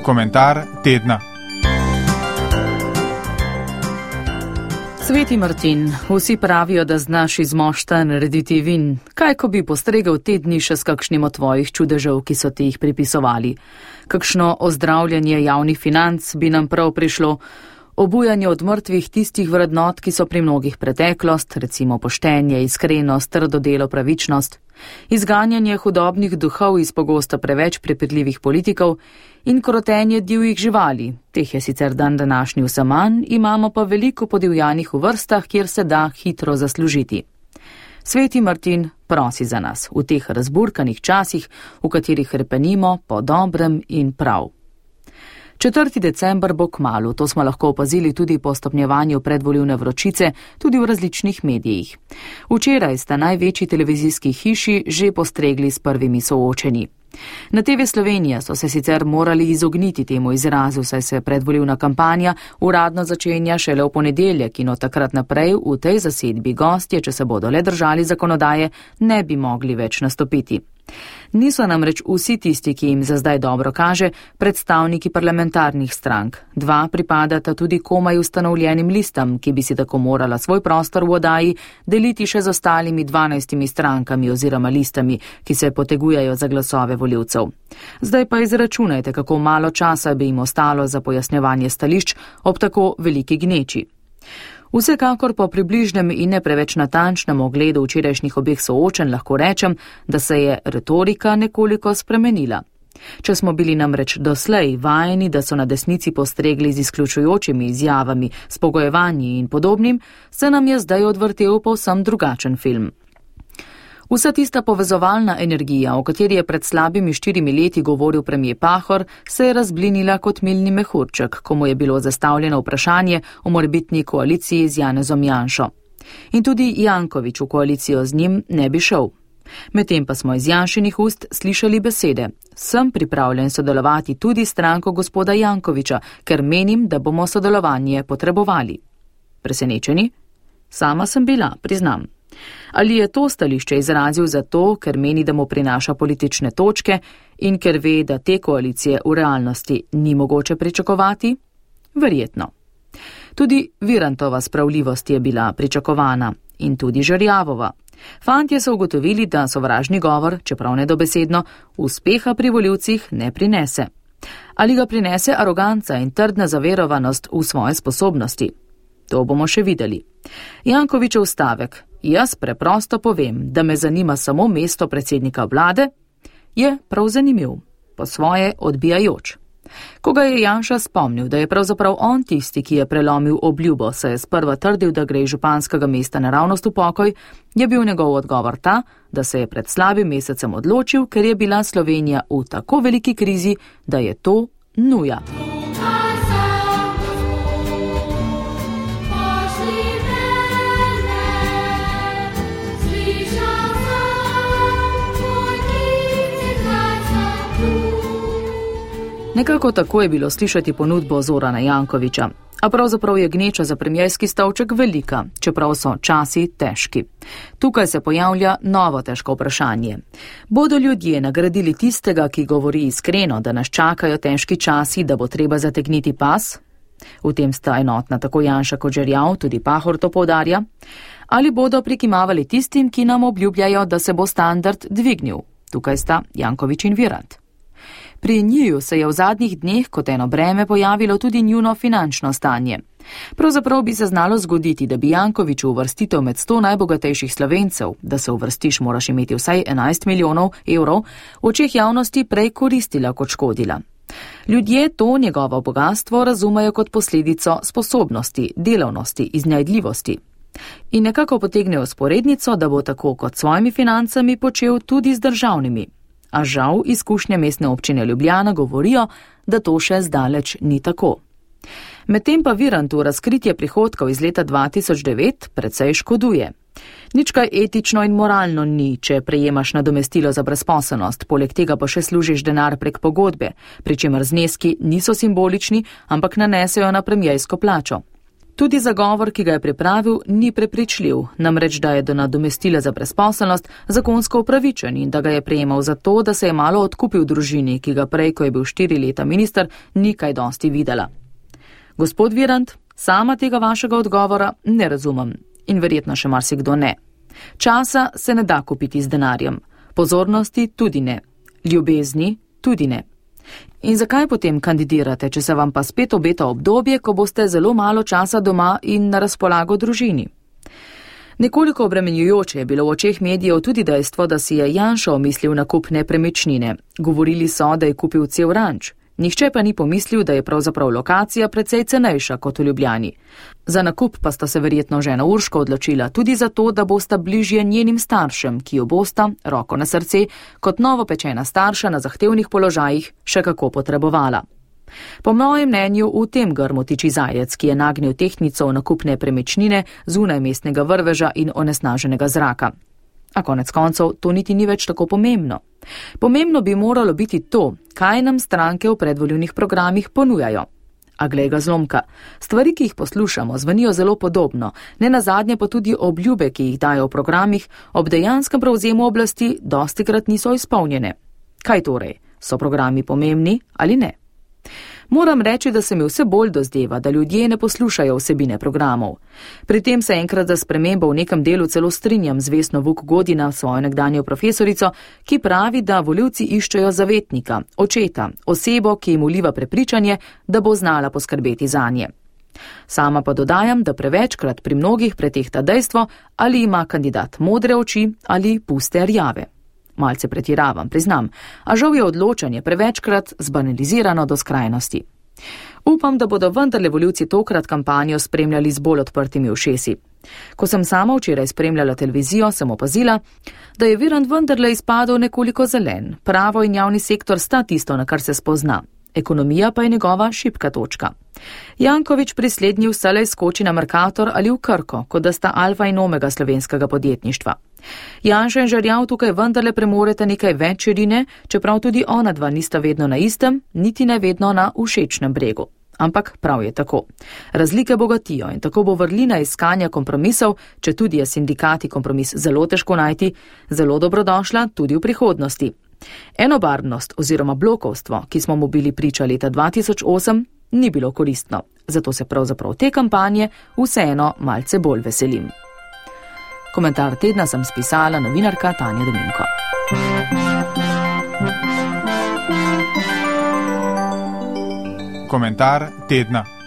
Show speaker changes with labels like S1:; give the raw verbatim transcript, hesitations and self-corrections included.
S1: Komentar tedna.
S2: Sveti Martin, vsi pravijo, da znaš iz mošta narediti vin. Kaj, ko bi postregel te dni še s kakšnim od tvojih čudežev, ki so ti jih pripisovali? Kakšno ozdravljanje javnih financ bi nam prav prišlo? Obujanje od mrtvih tistih vrednot, ki so pri mnogih preteklost, recimo poštenje, iskrenost, trdo delo, pravičnost, izganjanje hudobnih duhov iz pogosto preveč prepirljivih politikov in krotenje divjih živali. Teh je sicer dan današnji vse manj, imamo pa veliko podivjanih v vrstah, kjer se da hitro zaslužiti. Sveti Martin prosi za nas v teh razburkanih časih, v katerih hrepenimo po dobrem in prav. četrti december bo kmalu, to smo lahko opazili tudi po stopnjevanju predvolilne vročice, tudi v različnih medijih. Včeraj sta največji televizijski hiši že postregli s prvimi soočenji. Na T V Slovenija so se sicer morali izogniti temu izrazu, saj se predvolilna kampanja uradno začenja šele v ponedeljek in od takrat naprej v tej zasedbi gostje, če se bodo le držali zakonodaje, ne bi mogli več nastopiti. Niso namreč vsi tisti, ki jim za zdaj dobro kaže, predstavniki parlamentarnih strank. Dva pripadata tudi komaj ustanovljenim listam, ki bi si tako morala svoj prostor v oddaji deliti še z ostalimi dvanajstimi strankami oziroma listami, ki se potegujejo za glasove volivcev. Zdaj pa izračunajte, kako malo časa bi jim ostalo za pojasnjevanje stališč ob tako veliki gneči. Vsekakor po približnem in ne preveč natančnem ogledu včerajšnjih obeh soočenj lahko rečem, da se je retorika nekoliko spremenila. Če smo bili namreč doslej vajeni, da so na desnici postregli z izključujočimi izjavami, spogojevanji in podobnim, se nam je zdaj odvrtel povsem drugačen film. Vsa tista povezovalna energija, o kateri je pred slabimi štirimi leti govoril premijer Pahor, se je razblinila kot milni mehurček, ko mu je bilo zastavljeno vprašanje o morebitni koaliciji z Janezom Janšo. In tudi Janković v koalicijo z njim ne bi šel. Medtem pa smo iz Janšinih ust slišali besede: sem pripravljen sodelovati tudi s stranko gospoda Jankovića, ker menim, da bomo sodelovanje potrebovali. Presenečeni? Sama sem bila, priznam. Ali je to stališče izrazil zato, ker meni, da mu prinaša politične točke in ker ve, da te koalicije v realnosti ni mogoče pričakovati? Verjetno. Tudi Virantova spravljivost je bila pričakovana in tudi Žerjavova. Fantje so ugotovili, da sovražni govor, čeprav nedobesedno, uspeha pri volivcih ne prinese. Ali ga prinese aroganca in trdna zaverovanost v svoje sposobnosti? To bomo še videli. Jankovićev stavek: jaz preprosto povem, da me zanima samo mesto predsednika vlade, je prav zanimiv, po svoje odbijajoč. Ko ga je Janša spomnil, da je pravzaprav on tisti, ki je prelomil obljubo, saj je sprva trdil, da gre županskega mesta naravnost v pokoj, je bil njegov odgovor ta, da se je pred slabim mesecem odločil, ker je bila Slovenija v tako veliki krizi, da je to nuja. Nekako tako je bilo slišati ponudbo Zorana Jankovića, a pravzaprav je gneča za premierski stolček velika, čeprav so časi težki. Tukaj se pojavlja novo težko vprašanje. Bodo ljudje nagradili tistega, ki govori iskreno, da nas čakajo težki časi, da bo treba zategniti pas? V tem sta enotna tako Janša kot Žerjav, tudi Pahor to poudarja. Ali bodo prikimavali tistim, ki nam obljubljajo, da se bo standard dvignil? Tukaj sta Janković in Virant. Pri njiju se je v zadnjih dneh kot eno breme pojavilo tudi njuno finančno stanje. Pravzaprav bi se znalo zgoditi, da bi Jankoviću uvrstitev med sto najbogatejših Slovencev, da se uvrstiš moraš imeti vsaj enajst milijonov evrov, v očeh javnosti prej koristila kot škodila. Ljudje to njegovo bogatstvo razumejo kot posledico sposobnosti, delavnosti, iznajdljivosti. In nekako potegnejo sporednico, da bo tako kot s svojimi financami počel tudi z državnimi. A žal izkušnje mestne občine Ljubljana govorijo, da to še zdaleč ni tako. Medtem pa Virantu razkritje prihodkov iz leta dva tisoč devet precej škoduje. Nič kaj etično in moralno ni, če prejemaš nadomestilo za brezposelnost, poleg tega pa še služiš denar prek pogodbe, pri čemer zneski niso simbolični, ampak nanesejo na premiersko plačo. Tudi zagovor, ki ga je pripravil, ni prepričljiv, namreč da je do nadomestila za brezposelnost zakonsko upravičen in da ga je prejemal zato, da se je malo odkupil družini, ki ga prej, ko je bil štiri leta minister, ni kaj dosti videla. Gospod Virant, sama tega vašega odgovora ne razumem in verjetno še marsikdo ne. Časa se ne da kupiti z denarjem, pozornosti tudi ne, ljubezni tudi ne. In zakaj potem kandidirate, če se vam pa spet obeta obdobje, ko boste zelo malo časa doma in na razpolago družini? Nekoliko obremenjujoče je bilo v očeh medijev tudi dejstvo, da si je Janša omislil nakup nepremičnine. Govorili so, da je kupil cel ranč. Nihče pa ni pomislil, da je pravzaprav lokacija precej cenejša kot v Ljubljani. Za nakup pa sta se verjetno žena Urška odločila tudi zato, da bosta bližje njenim staršem, ki jo bosta, roko na srce, kot novopečena starša na zahtevnih položajih še kako potrebovala. Po mojem mnenju v tem grmu tiči zajec, ki je nagnil tehtnico v nakup nepremičnine zunaj mestnega vrveža in onesnaženega zraka. A konec koncev to niti ni več tako pomembno. Pomembno bi moralo biti to, kaj nam stranke v predvolilnih programih ponujajo. A glej ga zlomka, stvari, ki jih poslušamo, zvenijo zelo podobno, ne nazadnje pa tudi obljube, ki jih dajo v programih, ob dejanskem prevzemu oblasti dostikrat niso izpolnjene. Kaj torej? So programi pomembni ali ne? Moram reči, da se mi vse bolj dozdeva, da ljudje ne poslušajo vsebine programov. Pri tem se enkrat za spremembo v nekem delu celo strinjam z Vesno Vuk Godina, svojo nekdanjo profesorico, ki pravi, da volivci iščejo zavetnika, očeta, osebo, ki jim vliva prepričanje, da bo znala poskrbeti zanje. Sama pa dodajam, da prevečkrat pri mnogih pretehta dejstvo, ali ima kandidat modre oči ali puste rjave. Malce pretiravam, priznam, a žal je odločanje prevečkrat zbanalizirano do skrajnosti. Upam, da bodo vendarle volivci tokrat kampanjo spremljali z bolj odprtimi ušesi. Ko sem sama včeraj spremljala televizijo, sem opazila, da je Virant vendarle izpadel nekoliko zelen. Pravo in javni sektor sta tisto, na kar se spozna. Ekonomija pa je njegova šibka točka. Janković pri slednji vselej skoči na Mercator ali v Krko, kot da sta alfa in omega slovenskega podjetništva. Janša in Žerjav tukaj vendarle premorete nekaj več širine, čeprav tudi ona dva nista vedno na istem, niti ne vedno na všečnem bregu. Ampak prav je tako. Razlike bogatijo in tako bo vrlina iskanja kompromisov, če tudi je sindikati kompromis zelo težko najti, zelo dobrodošla tudi v prihodnosti. Enobarvnost oziroma blokovstvo, ki smo mu bili priča leta dva tisoč osem, ni bilo koristno. Zato se pravzaprav te kampanje vseeno malce bolj veselim. Komentar tedna sem spisala novinarka Tanja Dominko.
S1: Komentar tedna.